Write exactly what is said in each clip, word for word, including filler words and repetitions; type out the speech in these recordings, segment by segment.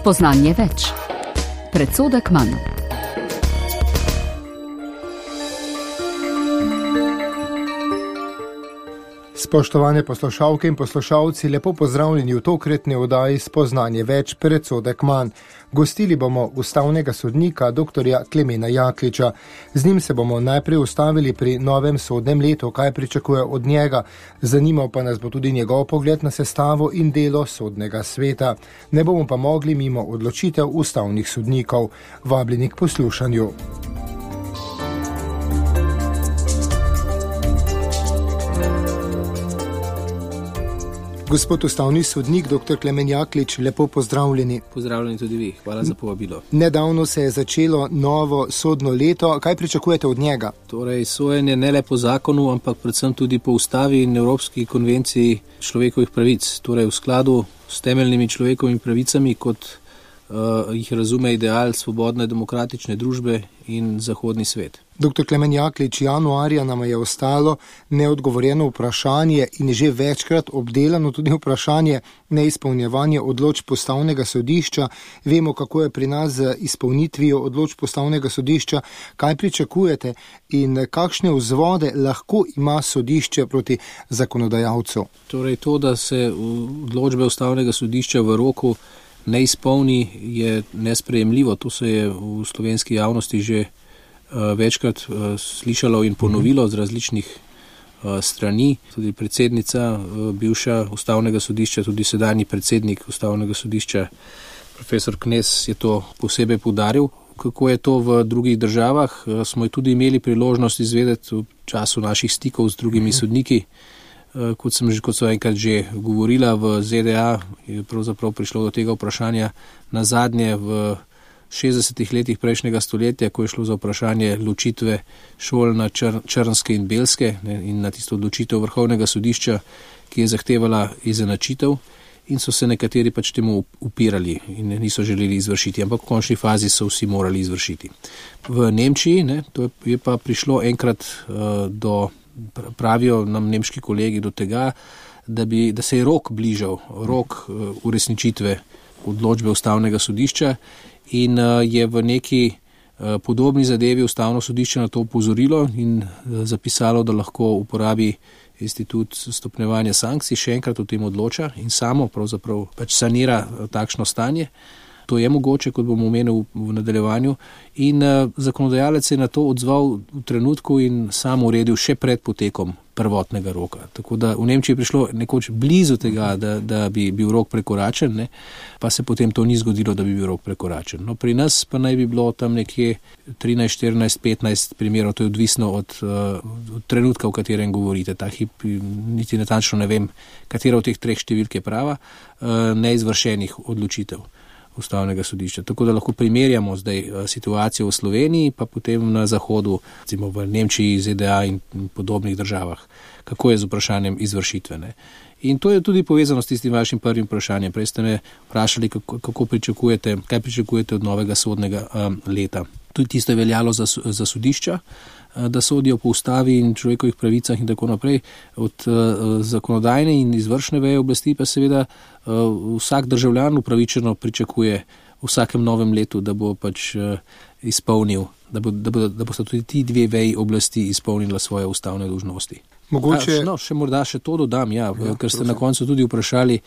Spoznanje več. Predsodek manj. Spoštovane poslušalke in poslušalci, lepo pozdravljeni v tokratni oddaji Spoznanje več, predsodek manj. Gostili bomo ustavnega sodnika doktorja Klemena Jakliča. Z njim se bomo najprej ustavili pri novem sodnem letu, kaj pričakuje od njega. Zanimal pa nas bo tudi njegov pogled na sestavo in delo sodnega sveta. Ne bomo pa mogli mimo odločitev ustavnih sodnikov. Vabljeni k poslušanju. Gospod ustavni sodnik, doktor Klemen Jaklič, lepo pozdravljeni. Pozdravljeni tudi vi, hvala za povabilo. Nedavno se je začelo novo sodno leto, kaj pričakujete od njega? Torej, sojenje ne le po zakonu, ampak predvsem tudi po ustavi in Evropski konvenciji človekovih pravic, torej v skladu s temeljnimi človekovimi pravicami, kot uh, jih razume ideal svobodne demokratične družbe in zahodni svet. Doktor Klemen Jaklič, januarja nam je ostalo neodgovorjeno vprašanje in že večkrat obdelano tudi vprašanje neizpolnjevanja odločb ustavnega sodišča. Vemo, kako je pri nas z izpolnitvijo odločb ustavnega sodišča. Kaj pričakujete in kakšne vzvode lahko ima sodišče proti zakonodajalcu? Torej, to, da se odločbe ustavnega sodišča v roku ne izpolni, je nesprejemljivo. To se je v slovenski javnosti že večkrat uh, slišalo in ponovilo z različnih uh, strani. Tudi predsednica uh, bivša ustavnega sodišča, tudi sedanji predsednik ustavnega sodišča, profesor Knez, je to posebej poudaril. Kako je to v drugih državah, uh, smo tudi imeli priložnost izvedeti v času naših stikov z drugimi sodniki. Uh, kot sem že, kot so enkrat že govorila, v Z D A je pravzaprav prišlo do tega vprašanja na zadnje v šestdesetih letih prejšnjega stoletja, ko je šlo za vprašanje ločitve šol na čr- črnske in belske, ne, in na tisto odločitev vrhovnega sodišča, ki je zahtevala izenačitev, in so se nekateri pač temu upirali in niso želeli izvršiti, ampak v končni fazi so vsi morali izvršiti. V Nemčiji, ne, to je pa prišlo enkrat uh, do, pravijo nam nemški kolegi, do tega, da, bi, da se je rok bližal, rok uh, uresničitve odločbe ustavnega sodišča, in je v neki podobni zadevi ustavno sodišče na to upozorilo in zapisalo, da lahko uporabi institut stopnjevanja sankcij, še enkrat o tem odloča in samo pravzaprav pač sanira takšno stanje. To je mogoče, kot bomo omenili v nadaljevanju, in zakonodajalec je na to odzval v trenutku in sam uredil še pred potekom prvotnega roka. Tako da v Nemčiji je prišlo nekoč blizu tega, da, da bi bil rok prekoračen, ne? Pa se potem to ni zgodilo, da bi bil rok prekoračen. No, pri nas pa naj bi bilo tam nekje trinajst, štirinajst, petnajst primerov, to je odvisno od, od trenutka, v katerem govorite. Ta hip, niti natančno ne vem, katera od teh treh številk je prava, neizvršenih odločitev ustavnega sodišča. Tako da lahko primerjamo zdaj situacijo v Sloveniji, pa potem na zahodu, recimo v Nemčiji, Z D A in podobnih državah, kako je z vprašanjem izvršitve. Ne? In to je tudi povezano s tistim vašim prvim vprašanjem. Prej ste me vprašali, kako, kako pričakujete, kaj pričakujete od novega sodnega um, leta. Tudi tisto je veljalo za, za sodišča, da sodijo po ustavi in človekovih pravicah in tako naprej. Od uh, zakonodajne in izvršne veje oblasti pa seveda uh, vsak državljan upravičeno pričakuje v vsakem novem letu, da bo pač uh, izpolnil, da bo, da bo, da bo sta tudi ti dve veji oblasti izpolnila svoje ustavne dolžnosti. Mogoče... A, no, še morda še to dodam, ja, ja, ker ste prosim. Na koncu tudi vprašali,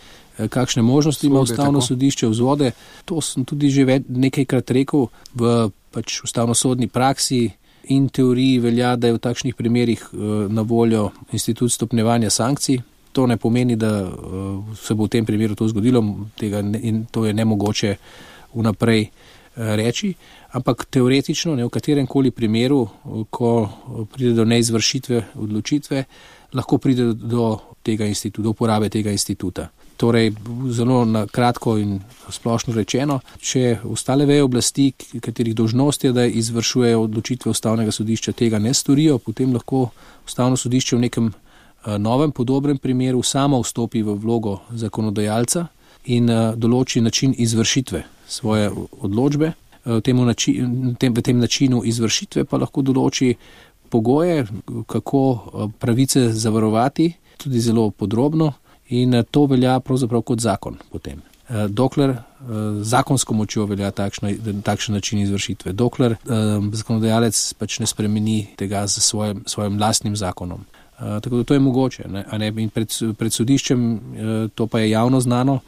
kakšne možnosti Svode, ima ustavno tako. Sodišče, vzvode. To sem tudi že nekajkrat rekel, v pač ustavnosodni praksi in teoriji velja, da je v takšnih primerih na voljo institut stopnjevanja sankcij. To ne pomeni, da se bo v tem primeru to zgodilo, tega ne, in to je nemogoče vnaprej reči, ampak teoretično, ne, v katerem koli primeru, ko pride do neizvršitve odločitve, lahko pride do tega instituta, do uporabe tega instituta. Torej, zelo na kratko in splošno rečeno, če ostale veje oblasti, katerih dolžnost je, da izvršujejo odločitve ustavnega sodišča, tega ne storijo, potem lahko ustavno sodišče v nekem novem podobnem primeru samo vstopi v vlogo zakonodajalca in določi način izvršitve svoje odločbe. V tem, v tem načinu izvršitve pa lahko določi pogoje, kako pravice zavarovati, tudi zelo podrobno. In to velja pravzaprav kot zakon potem. dokler zakonsko močjo velja takšna, takšen način izvršitve, dokler zakonodajalec pač ne spremeni tega z svojim, svojim lastnim zakonom. Tako da to je mogoče. Ne? A ne? In pred, pred sodiščem, to pa je javno znano,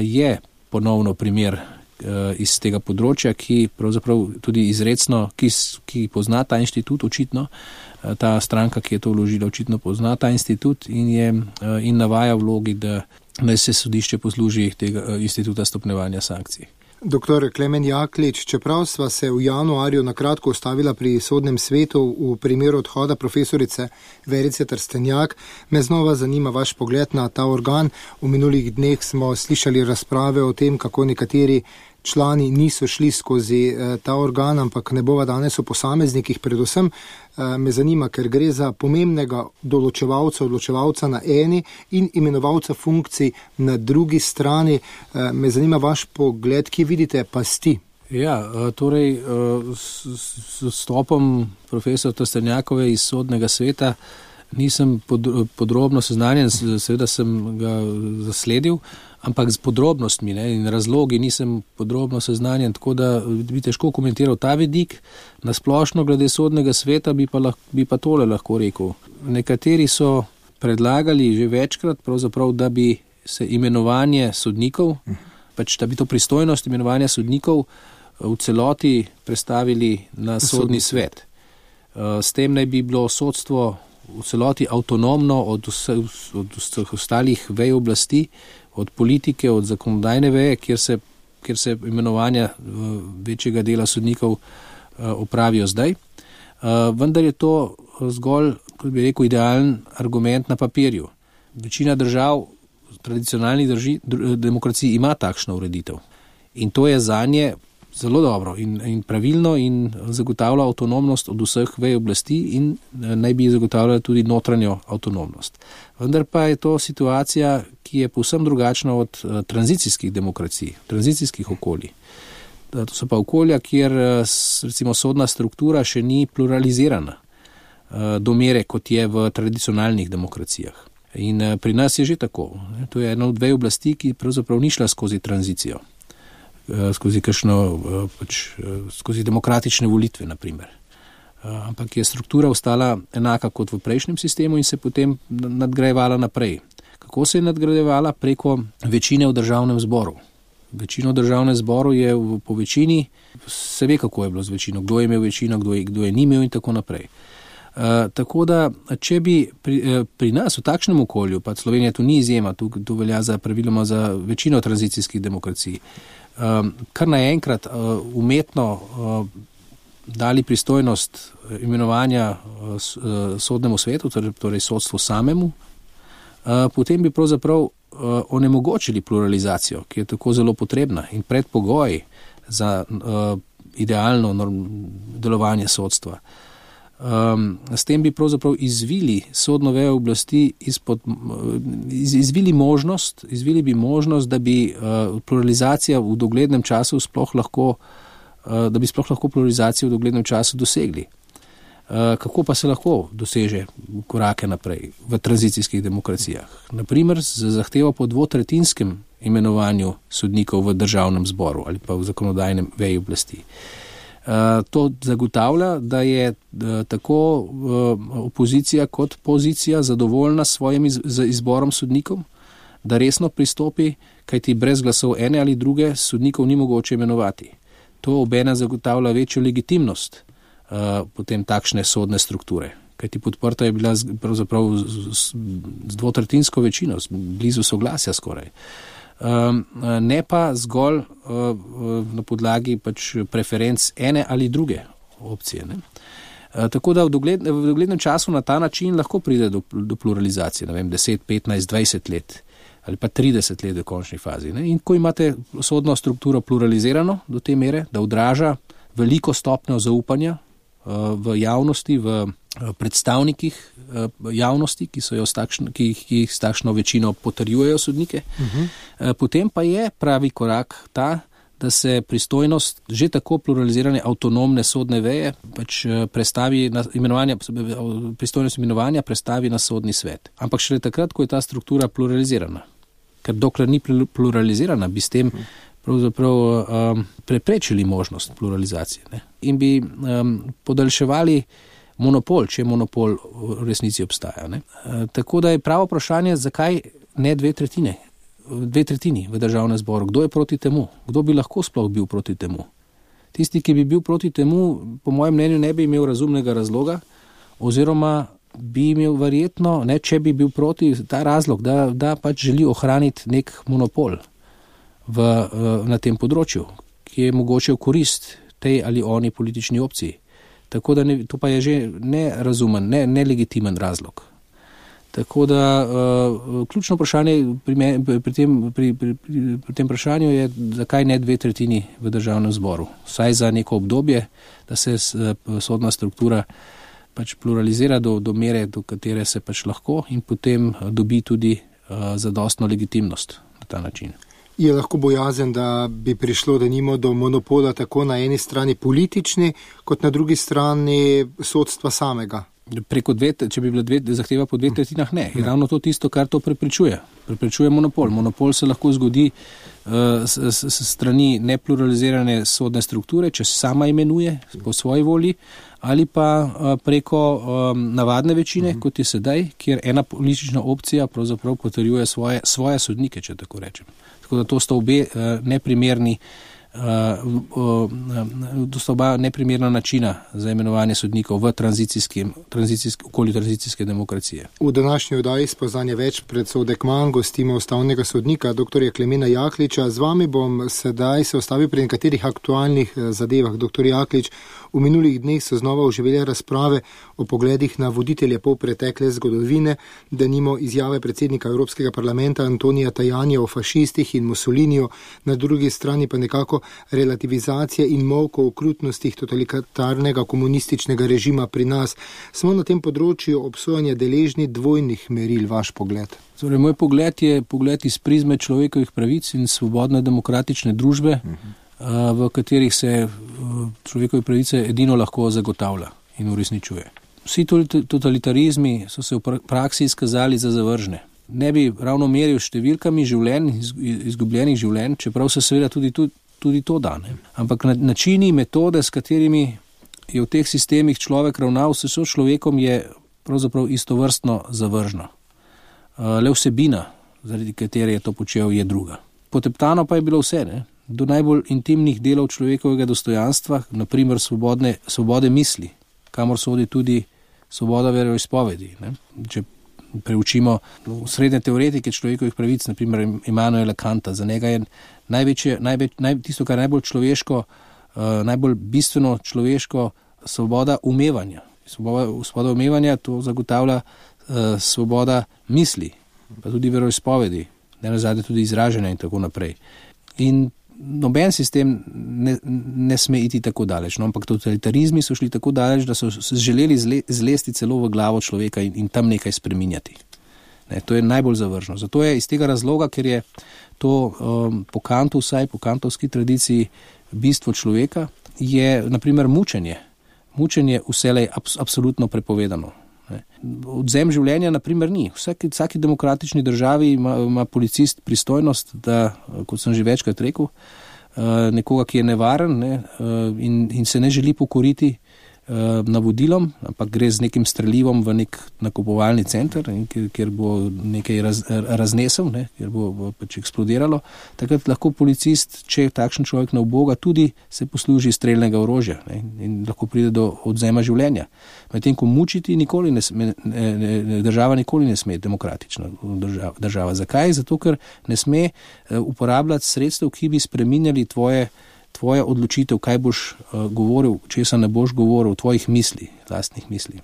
je ponovno primer iz tega področja, ki pravzaprav tudi izrecno, ki, ki pozna ta inštitut očitno, ta stranka, ki je to vložila, očitno pozna ta institut in, je, in navaja vlogi, da naj se sodišče posluži tega instituta stopnjevanja sankcij. Doktor Klemen Jaklič, čeprav sva se v januarju nakratko ustavila pri sodnem svetu v primeru odhoda profesorice Verice Trstenjak, me znova zanima vaš pogled na ta organ. V minulih dneh smo slišali razprave o tem, kako nekateri člani niso šli skozi eh, ta organ, ampak ne bova danes o posameznikih. Predvsem eh, me zanima, ker gre za pomembnega določevalca, odločevalca na eni in imenovalca funkcij na drugi strani. Eh, me zanima vaš pogled, ki vidite pasti. Ja, torej s, s stopom profesor Trstenjakove iz sodnega sveta nisem pod, podrobno seznanjen, seveda sem ga zasledil, ampak z podrobnostmi ne, in razlogi nisem podrobno seznanjen, tako da bi težko komentiral ta vidik. Na splošno glede sodnega sveta bi pa, lahko, bi pa tole lahko rekel. Nekateri so predlagali že večkrat, pravzaprav, da bi se imenovanje sodnikov, pač da bi to pristojnost imenovanja sodnikov v celoti prestavili na sodni svet. S tem naj bi bilo sodstvo v celoti avtonomno od vseh, od vseh ostalih vej oblasti, od politike, od zakonodajne veje, kjer se, kjer se imenovanja večjega dela sodnikov opravijo zdaj. Vendar je to zgolj, kot bi rekel, idealen argument na papirju. Večina držav, tradicionalnih drži, demokracij ima takšno ureditev. In to je zanje zelo dobro in, in pravilno in zagotavlja avtonomnost od vseh vej oblasti in naj bi zagotavljala tudi notranjo avtonomnost. Vendar pa je to situacija, ki je povsem drugačna od uh, tranzicijskih demokracij, tranzicijskih okolij. To so pa okolja, kjer recimo sodna struktura še ni pluralizirana uh, do mere, kot je v tradicionalnih demokracijah. In uh, pri nas je že tako. To je ena od vej oblasti, ki pravzaprav ni šla skozi tranzicijo. skozi kakšno, pač, skozi demokratične volitve, na primer. Ampak je struktura ostala enaka kot v prejšnjem sistemu in se potem nadgrajevala naprej. Kako se je nadgrajevala? Preko večine v državnem zboru. Večino v državnem zboru je v, po večini, se ve, kako je bilo z večino, kdo je imel večino, kdo je, kdo je ni imel in tako naprej. Uh, tako da, če bi pri, eh, pri nas v takšnem okolju, pa Slovenija tu ni izjema, tu, tu velja za praviloma za večino tranzicijskih demokracij, um, kar naenkrat uh, umetno uh, dali pristojnost imenovanja uh, sodnemu svetu, torej, torej sodstvu samemu, uh, potem bi pravzaprav uh, onemogočili pluralizacijo, ki je tako zelo potrebna in predpogoj za uh, idealno norm, delovanje sodstva. Um, s tem bi pravzaprav izvili sodno vejo oblasti izpod, iz, izvili možnost, izvili bi možnost, da bi uh, pluralizacija v doglednem času sploh lahko, uh, da bi sploh lahko pluralizacijo v doglednem času dosegli. Uh, kako pa se lahko doseže korake naprej v tranzicijskih demokracijah? Naprimer, z zahtevo po dvotretjinskem imenovanju sodnikov v državnem zboru ali pa v zakonodajnem veji oblasti. Uh, to zagotavlja, da je uh, tako uh, opozicija kot pozicija zadovoljna s svojim iz, z izborom sodnikov, da resno pristopi, kajti brez glasov ene ali druge sodnikov ni mogoče imenovati. To obena zagotavlja večjo legitimnost uh, potem takšne sodne strukture, kajti podprta je bila z, pravzaprav z, z, z dvotretjinsko večino, blizu soglasja skoraj. Um, ne pa zgolj uh, na podlagi pač preferenc ene ali druge opcije. Ne? Uh, tako da v, dogled, v doglednem času na ta način lahko pride do, do pluralizacije, ne vem, deset, petnajst, dvajset let ali pa trideset let v končni fazi. Ne? In ko imate sodno strukturo pluralizirano do te mere, da odraža veliko stopnjo zaupanja uh, v javnosti, v predstavnikih javnosti, ki, so jo s takšno, ki, ki jih s takšno večino potrjujejo sodnike. Uh-huh. Potem pa je pravi korak ta, da se pristojnost že tako pluralizirane avtonomne sodne veje pač prestavi na imenovanja, pristojnost imenovanja prestavi na sodni svet. Ampak šele takrat, ko je ta struktura pluralizirana. ker dokler ni pluralizirana, bi s tem pravzaprav um, preprečili možnost pluralizacije, ne? In bi um, podaljševali monopol, če monopol v resnici obstaja, ne? E, tako da je pravo vprašanje, zakaj ne dve tretjine, dve tretjini v državnem zboru, kdo je proti temu, kdo bi lahko sploh bil proti temu. Tisti, ki bi bil proti temu, po mojem mnenju ne bi imel razumnega razloga, oziroma bi imel verjetno, ne, če bi bil proti, ta razlog, da, da pač želi ohraniti nek monopol v, na tem področju, ki je mogoče v korist tej ali oni politični opciji. Tako da ne, to pa je že nerazumen, ne, nelegitimen razlog. Tako da uh, ključno vprašanje pri, me, pri, tem, pri, pri, pri tem vprašanju je, zakaj ne dve tretjini v državnem zboru. Vsaj za neko obdobje, da se sodna struktura pač pluralizira do, do mere, do katere se pač lahko in potem dobi tudi uh, zadostno legitimnost na ta način. Je lahko bojazen, da bi prišlo denimo do monopola tako na eni strani politični, kot na drugi strani sodstva samega? Preko dve, če bi bila dve, zahteva po dveh tretjinah, ne. Je ravno to tisto, kar to preprečuje. Preprečuje monopol. Monopol se lahko zgodi uh, s, s, s strani nepluralizirane sodne strukture, če se sama imenuje po svoji volji, ali pa uh, preko um, navadne večine, uh-huh. kot je sedaj, kjer ena politična opcija pravzaprav potrjuje svoje, svoje sodnike, če tako rečem. Tako da to sta obe uh, neprimerni Uh, uh, to sta oba neprimerna načina za imenovanje sodnikov v tranzicijskem, tranzicijsk, okolju tranzicijske demokracije. V današnji oddaji Spoznanje več predsodek manj gostimo ustavnega sodnika doktorja Klemena Jakliča. Z vami bom sedaj se ostavil pri nekaterih aktualnih zadevah. Doktor Jaklič, v minulih dneh so znova oživele razprave o pogledih na voditelje polpretekle zgodovine, denimo izjave predsednika Evropskega parlamenta Antonija Tajanja o fašistih in Mussoliniju, na drugi strani pa nekako relativizacija in molk o okrutnostih totalitarnega komunističnega režima pri nas. Smo na tem področju obsojanja deležni dvojnih meril, vaš pogled? Torej, moj pogled je pogled iz prizme človekovih pravic in svobodne demokratične družbe, uh-huh. v katerih se človekove pravice edino lahko zagotavlja in uresničuje. Vsi totalitarizmi so se v praksi izkazali za zavržne. Ne bi ravno meril številkami življenj, izgubljenih življenj, čeprav se seveda tudi tu tudi to da, ne. Ampak načini, metode, s katerimi je v teh sistemih človek ravnal s sočlovekom, je pravzaprav istovrstno zavržno. Le vsebina, zaradi katere je to počel, je druga. Poteptano pa je bilo vse, ne. Do najbolj intimnih delov človekovega dostojanstva, na primer svobodne, svobode misli, kamor sodi tudi svoboda veroizpovedi, ne. Če preučimo srednje teoretike človekovih pravic, na primer Immanuela Kanta, za njega je največje, največ, naj, tisto, kar je najbolj človeško, uh, najbolj bistveno človeško, svoboda umevanja. Svoboda, svoboda umevanja to zagotavlja uh, svoboda misli, pa tudi veroizpovedi, ne nazadnje tudi izražanja in tako naprej. In noben sistem ne, ne sme iti tako daleč, no, ampak totalitarizmi so šli tako daleč, da so želeli zle, zlesti celo v glavo človeka in, in tam nekaj spreminjati. Ne, to je najbolj zavržno. Zato je iz tega razloga, ker je to um, po Kantu, vsaj po kantovski tradiciji, bistvo človeka, je naprimer mučenje. Mučenje vselej abs, absolutno prepovedano. Ne. Odzem življenja naprimer ni. Vsaki, vsaki demokratični državi ima, ima policist pristojnost, da, kot sem že večkrat rekel, nekoga, ki je nevaren, ne, in, in se ne želi pokoriti navodilom, ampak gre z nekim strelivom v nek nakupovalni center, kjer, kjer bo nekaj raz, raznesel, ne, kjer bo, bo pač eksplodiralo. Takrat lahko policist, če takšen človek ne uboga, tudi se posluži streljnega orožja, ne, in lahko pride do odzema življenja. Medtem ko mučiti nikoli ne sme, ne, ne, država nikoli ne sme demokratična država, država. Zakaj? Zato, ker ne sme uporabljati sredstev, ki bi spreminjali tvoje tvoja odločitev, kaj boš uh, govoril, česa ne boš govoril, tvojih misli, lastnih misli.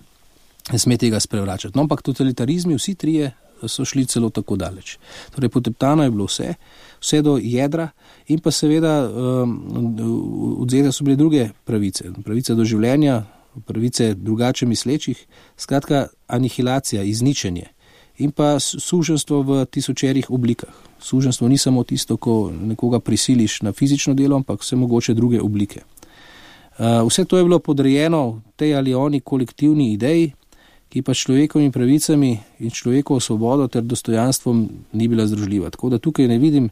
Ne sme tega sprevračati. No, ampak totalitarizmi, vsi trije so šli celo tako daleč. Torej, poteptano je bilo vse, vse do jedra in pa seveda um, odzete so bile druge pravice. Pravice do življenja, pravice drugače mislečih, skratka anihilacija, izničenje in pa suženstvo v tisočerih oblikah. Suženstvo ni samo tisto, ko nekoga prisiliš na fizično delo, ampak vse mogoče druge oblike. Vse to je bilo podrejeno tej ali oni kolektivni ideji, ki pa s človekovimi pravicami in človekovo svobodo ter dostojanstvom ni bila združljiva. Tako da tukaj ne vidim,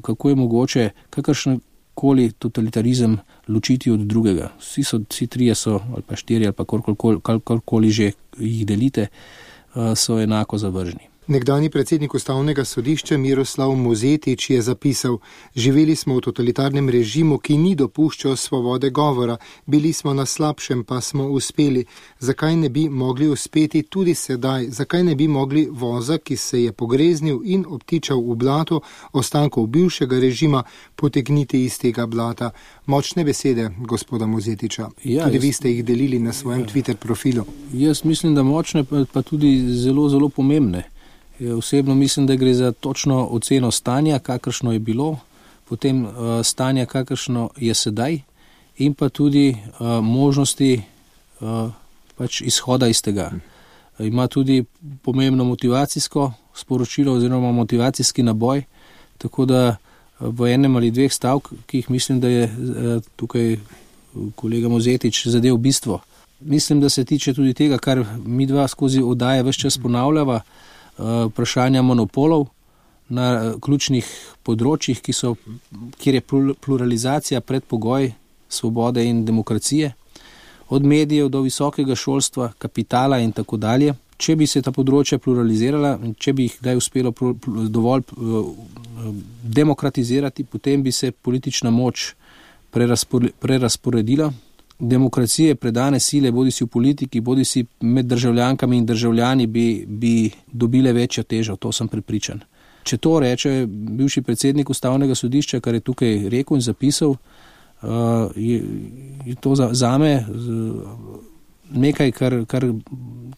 kako je mogoče kakršenkoli totalitarizem ločiti od drugega. Vsi, so, vsi trije so, ali pa štiri, ali pa kakorkoli že jih delite, so enako zavržni. Nekdanji predsednik Ustavnega sodišča Miroslav Mozetič je zapisal: živeli smo v totalitarnem režimu, ki ni dopuščal svobode govora, bili smo na slabšem, pa smo uspeli. Zakaj ne bi mogli uspeti tudi sedaj? Zakaj ne bi mogli voza, ki se je pogreznil in obtičal v blato ostankov bivšega režima, potegniti iz tega blata? Močne besede gospoda Mozetiča. Ja, tudi jaz, vi ste jih delili na svojem ja. Twitter profilu. Jaz mislim, da močne, pa tudi zelo, zelo pomembne. Osebno mislim, da gre za točno oceno stanja, kakršno je bilo, potem uh, stanja, kakršno je sedaj, in pa tudi uh, možnosti uh, pač izhoda iz tega. Uh, ima tudi pomembno motivacijsko sporočilo oziroma motivacijski naboj, tako da uh, v enem ali dveh stavkih mislim, da je uh, tukaj kolega Mozetič zadev bistvo. Mislim, da se tiče tudi tega, kar mi dva skozi oddaje ves čas ponavljava, vprašanja monopolov na ključnih področjih, ki so, kjer je pluralizacija predpogoj svobode in demokracije, od medijev do visokega šolstva, kapitala in tako dalje. Če bi se ta področja pluralizirala, če bi jih kdaj uspelo dovolj demokratizirati, potem bi se politična moč prerasporedila. Demokracije, predane sile, bodi si v politiki, bodi si med državljankami in državljani, bi, bi dobile večjo težo, to sem prepričan. Če to reče bivši predsednik Ustavnega sodišča, kar je tukaj rekel in zapisal, uh, je, je to za, zame nekaj, kar, kar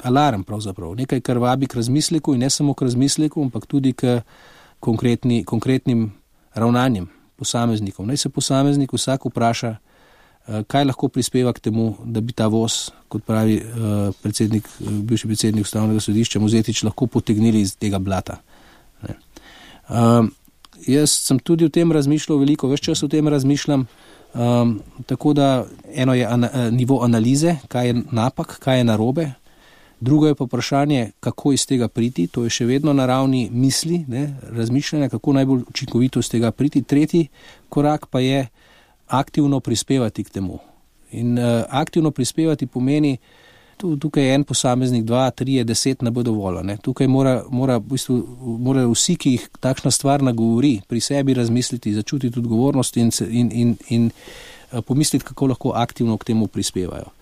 alarm pravzaprav, nekaj, kar vabi k razmisleku in ne samo k razmisleku, ampak tudi k konkretni, konkretnim ravnanjem posameznikov. Naj se posameznik vsak vpraša, kaj lahko prispeva k temu, da bi ta voz, kot pravi uh, predsednik, bivši predsednik Ustavnega sodišča Mozetič, lahko potegnili iz tega blata. Uh, jaz sem tudi o tem razmišljal veliko, več čas o tem razmišljam, um, tako da eno je ana, nivo analize, kaj je napak, kaj je narobe, drugo je pa vprašanje, kako iz tega priti, to je še vedno na ravni misli, ne, razmišljanja, kako najbolj učinkovito iz tega priti. Tretji korak pa je aktivno prispevati k temu. In uh, aktivno prispevati pomeni, tu, tukaj je en posameznik, dva, tri, deset ne bo dovolj. Ne? Tukaj mora, mora, v bistvu, mora vsi, ki jih takšna stvar nagovori, pri sebi razmisliti, začutiti odgovornost in, in, in, in uh, pomisliti, kako lahko aktivno k temu prispevajo.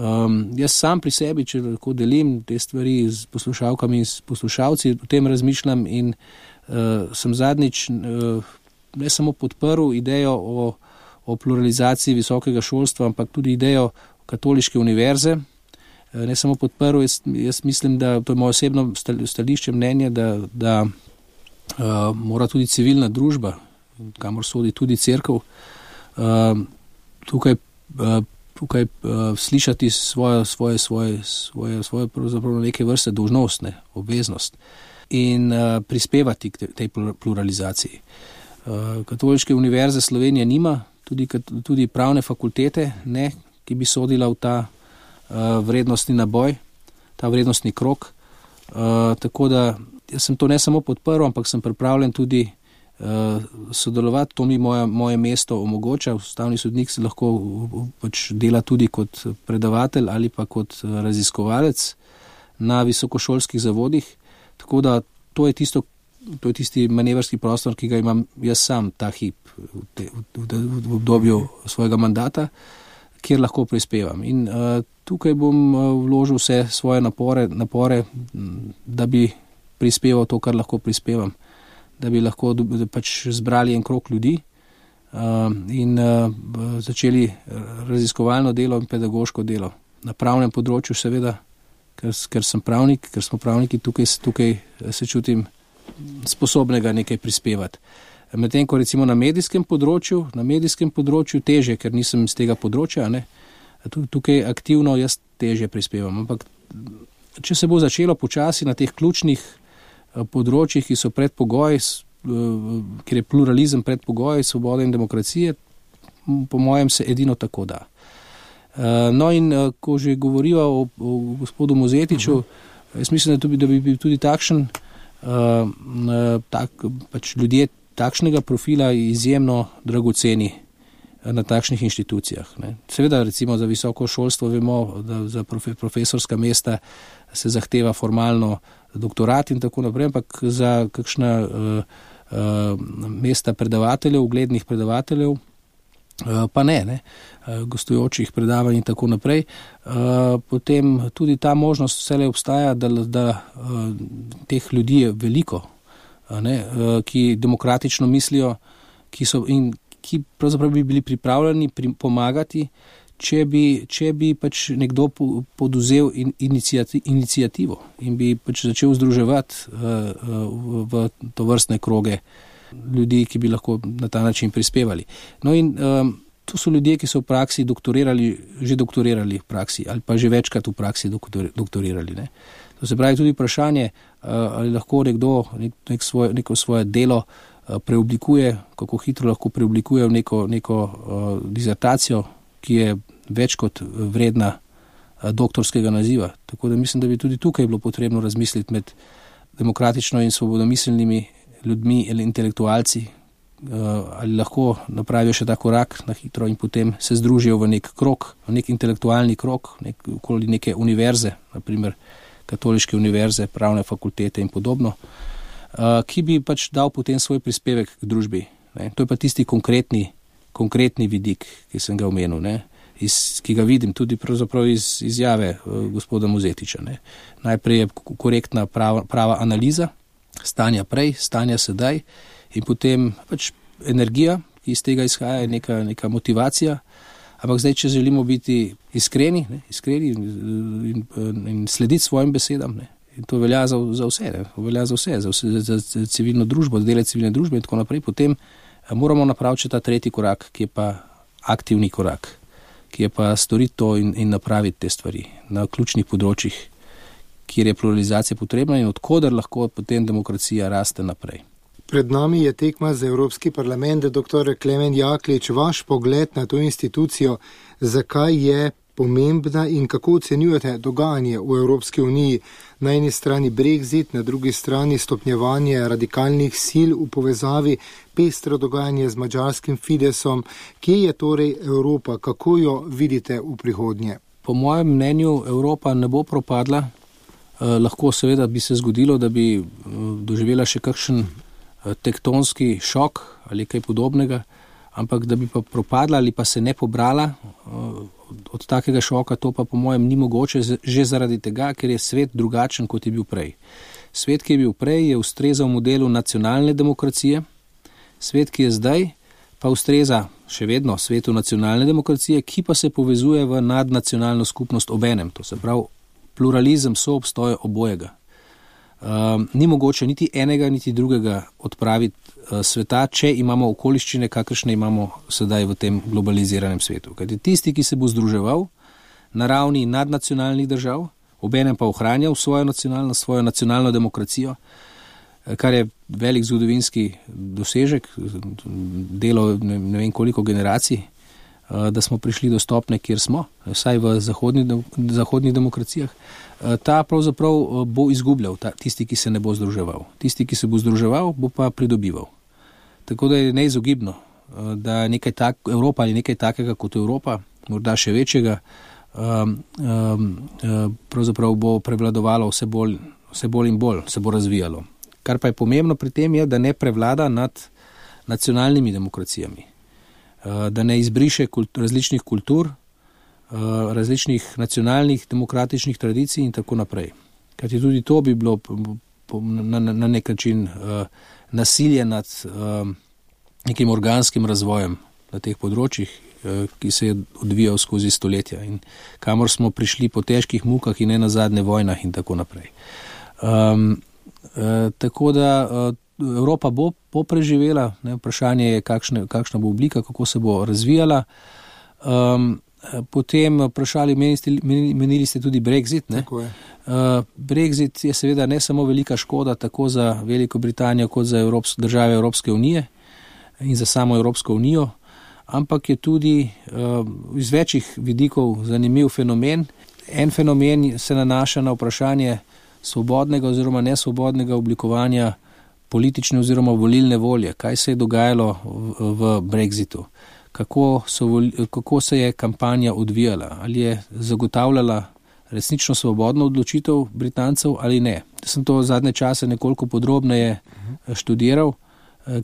Um, jaz sam pri sebi, če lahko delim te stvari z poslušalkami in s poslušalci, o tem razmišljam in uh, sem zadnjič uh, ne samo podprl idejo o o pluralizaciji visokega šolstva, ampak tudi idejo katoliške univerze. Ne samo podprl, jaz, jaz mislim, da to je moje osebno stališče, mnenje, da, da uh, mora tudi civilna družba, kamor sodi tudi cerkev, uh, tukaj, uh, tukaj uh, slišati svoje, svoje, svoje, svoje, svoje pravzaprav neke vrste dolžnost, ne, obveznost in uh, prispevati k tej pluralizaciji. Uh, Katoliške univerze Slovenija nima, Tudi, tudi pravne fakultete, ne, ki bi sodila v ta uh, vrednostni naboj, ta vrednostni krok. Uh, tako da jaz sem to ne samo podprl, ampak sem pripravljen tudi uh, sodelovati. To mi moje, moje mesto omogoča. Ustavni sodnik se lahko pač dela tudi kot predavatelj ali pa kot raziskovalec na visokošolskih zavodih. Tako da to je tisto, to je tisti manevrski prostor, ki ga imam jaz sam ta hip v, te, v, v, v obdobju svojega mandata, kjer lahko prispevam. In uh, tukaj bom uh, vložil vse svoje napore, napore, da bi prispeval to, kar lahko prispevam, da bi lahko da pač zbrali en krog ljudi uh, in uh, začeli raziskovalno delo in pedagoško delo. Na pravnem področju seveda, ker, ker sem pravnik, ker smo pravniki, tukaj, tukaj se čutim sposobnega nekaj prispevati. Medtem ko recimo na medijskem področju, na medijskem področju teže, ker nisem iz tega področja, ne, tukaj aktivno jaz teže prispevam. Ampak če se bo začelo počasi na teh ključnih področjih, ki so predpogoj, ker je pluralizem predpogoj svobode in demokracije, po mojem se edino tako da. No in ko že govorijo o, o gospodu Mozetiču, uh-huh. jaz mislim, da, tudi, da bi bil tudi takšen, tak, pač ljudje takšnega profila izjemno dragoceni na takšnih inštitucijah. Ne. Seveda recimo za visoko šolstvo vemo, da za profe, profesorska mesta se zahteva formalno doktorat in tako naprej, ampak za kakšna uh, uh, mesta predavateljev, uglednih predavateljev, uh, pa ne, ne, uh, gostujočih predavanj in tako naprej. Uh, potem tudi ta možnost vselej obstaja, da, da uh, teh ljudi je veliko, uh, ne, uh, ki demokratično mislijo, ki so in ki pravzaprav bi bili pripravljeni pri, pomagati, če bi, če bi pač nekdo poduzel in, inicijati, inicijativo in bi pač začel združevati uh, v, v to vrstne kroge ljudi, ki bi lahko na ta način prispevali. No in um, to so ljudje, ki so v praksi doktorirali, že doktorirali v praksi ali pa že večkrat v praksi doktor, doktorirali. Ne. To se pravi tudi vprašanje, uh, ali lahko nekdo nek, nek svoje, neko svoje delo preoblikuje, kako hitro lahko preoblikuje v neko, neko uh, dizertacijo, ki je več kot vredna uh, doktorskega naziva. Tako da mislim, da bi tudi tukaj bilo potrebno razmisliti med demokratično in svobodomiselnimi ljudmi ali intelektualci, uh, ali lahko napravijo še ta korak na hitro in potem se združijo v nek krog, v nek intelektualni krog, nek, okoli neke univerze, naprimer katoliške univerze, pravne fakultete in podobno, Uh, ki bi pač dal potem svoj prispevek k družbi. Ne. To je pa tisti konkretni, konkretni vidik, ki sem ga omenil, ne. Iz, ki ga vidim tudi pravzaprav iz izjave uh, gospoda Mozetiča. Ne. Najprej je korektna prava, prava analiza stanja prej, stanja sedaj in potem pač energija, ki iz tega izhaja, je neka, neka motivacija. Ampak zdaj, če želimo biti iskreni, ne, iskreni in, in, in slediti svojim besedam, ne. In to velja za, za vse, ne? To velja za vse, za, vse, za, za civilno družbo, za dele civilne družbe in tako naprej. Potem moramo napraviti ta tretji korak, ki je pa aktivni korak, ki je pa storiti to in, in napraviti te stvari na ključnih področjih, kjer je pluralizacija potrebna in odkoder lahko potem demokracija raste naprej. Pred nami je tekma za Evropski parlament. Doktor Klemen Jaklič, vaš pogled na to institucijo, zakaj je pomembna in kako ocenjujete dogajanje v Evropski uniji, na eni strani Brexit, na drugi strani stopnjevanje radikalnih sil v povezavi, pestro dogajanje z madžarskim Fidesom. Kje je torej Evropa, kako jo vidite v prihodnje? Po mojem mnenju Evropa ne bo propadla, eh, lahko seveda bi se zgodilo, da bi eh, doživela še kakšen eh, tektonski šok ali kaj podobnega, ampak da bi pa propadla ali pa se ne pobrala eh, od takega šoka, to pa po mojem ni mogoče že zaradi tega, ker je svet drugačen, kot je bil prej. Svet, ki je bil prej, je ustrezal modelu nacionalne demokracije, svet, ki je zdaj, pa ustreza še vedno svetu nacionalne demokracije, ki pa se povezuje v nadnacionalno skupnost obenem, to se pravi pluralizem, soobstoj obojega. Um, ni mogoče niti enega, niti drugega odpraviti uh, sveta, če imamo okoliščine, kakršne imamo sedaj v tem globaliziranem svetu. Kajti tisti, ki se bo združeval na ravni nadnacionalnih držav, obenem pa ohranjal svojo nacionalno, svojo nacionalno demokracijo, kar je velik zgodovinski dosežek, delo ne, ne vem koliko generacij, uh, da smo prišli do stopne, kjer smo, vsaj v zahodni, zahodnih demokracijah. Ta pravzaprav bo izgubljal, ta, tisti, ki se ne bo združeval. Tisti, ki se bo združeval, bo pa pridobival. Tako da je neizogibno, da nekaj tak, Evropa ali nekaj takega kot Evropa, morda še večjega, um, um, pravzaprav bo prevladovalo vse bolj, vse bolj in bolj, se bo razvijalo. Kar pa je pomembno pri tem je, da ne prevlada nad nacionalnimi demokracijami, da ne izbriše kult, različnih kultur, različnih nacionalnih demokratičnih tradicij in tako naprej. Kajti tudi to bi bilo na, na nek način uh, nasilje nad uh, nekim organskim razvojem na teh področjih, uh, ki se je odvijal skozi stoletja in kamor smo prišli po težkih mukah in ne nazadnje vojnah in tako naprej. Um, uh, tako da uh, Evropa bo, bo preživela, ne, vprašanje je, kakšne, kakšna bo oblika, kako se bo razvijala. Um, Potem vprašali, menili, menili ste tudi Brexit. Ne? Tako je. Uh, Brexit je seveda ne samo velika škoda tako za Veliko Britanijo kot za Evrops- države Evropske unije in za samo Evropsko unijo, ampak je tudi uh, iz večjih vidikov zanimiv fenomen. En fenomen se nanaša na vprašanje svobodnega oziroma nesvobodnega oblikovanja politične oziroma volilne volje. Kaj se je dogajalo v, v Brexitu? Kako, so, kako se je kampanja odvijala? Ali je zagotavljala resnično svobodno odločitev Britancev ali ne? Sem to zadnje čase nekoliko podrobneje študiral,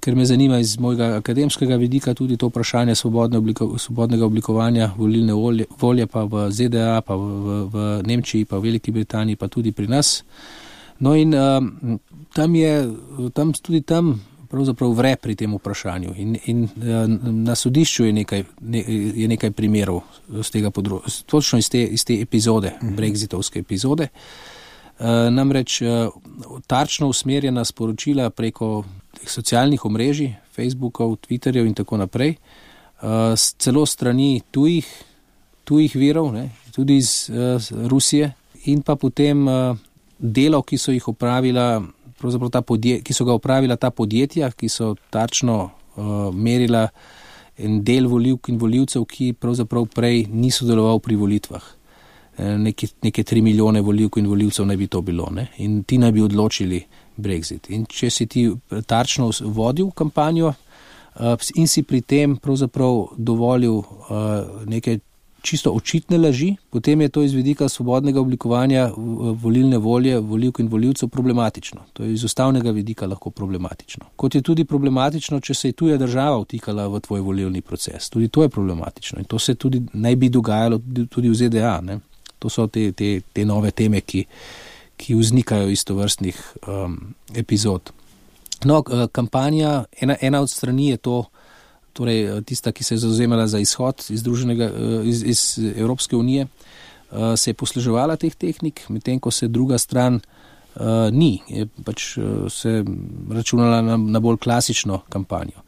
ker me zanima iz mojega akademskega vidika tudi to vprašanje svobodne obliko, svobodnega oblikovanja volilne volje, volje pa v Z D A, pa v, v, v Nemčiji, pa v Veliki Britaniji, pa tudi pri nas. No in um, tam je, tam tudi tam pravzaprav vre pri tem vprašanju in, in na sodišču je nekaj, ne, je nekaj primerov z tega področja, točno iz te, iz te epizode, brexitovske epizode. Uh, namreč uh, tarčno usmerjena sporočila preko socialnih omrežij, Facebookov, Twitterjev in tako naprej, uh, celo strani tujih, tujih virov, ne, tudi iz uh, Rusije in pa potem uh, delov, ki so jih opravila, pravzaprav ta podje, ki so ga opravila ta podjetja, ki so tarčno uh, merila en del volivk in volivcev, ki pravzaprav prej ni sodeloval pri volitvah. Neke, neke tri milijone volivk in volivcev naj bi to bilo, ne? In ti naj bi odločili Brexit. In če si ti tarčno vodil kampanjo uh, in si pri tem pravzaprav dovolil uh, neke čisto očitne laži, potem je to iz vidika svobodnega oblikovanja volilne volje volivk in volivcev problematično. To je iz ustavnega vidika lahko problematično. Kot je tudi problematično, če se je tuja država vtikala v tvoj volilni proces. Tudi to je problematično in to se tudi naj bi dogajalo tudi v Z D A, ne? To so te, te, te nove teme, ki, ki vznikajo iz tovrstnih um, epizod. No, kampanja, ena, ena od strani je to, torej tista, ki se je zavzemala za izhod iz, druženega, iz, iz Evropske unije, uh, se je posluževala teh tehnik, medtem ko se druga stran uh, ni, je pač uh, se računala na, na bolj klasično kampanjo.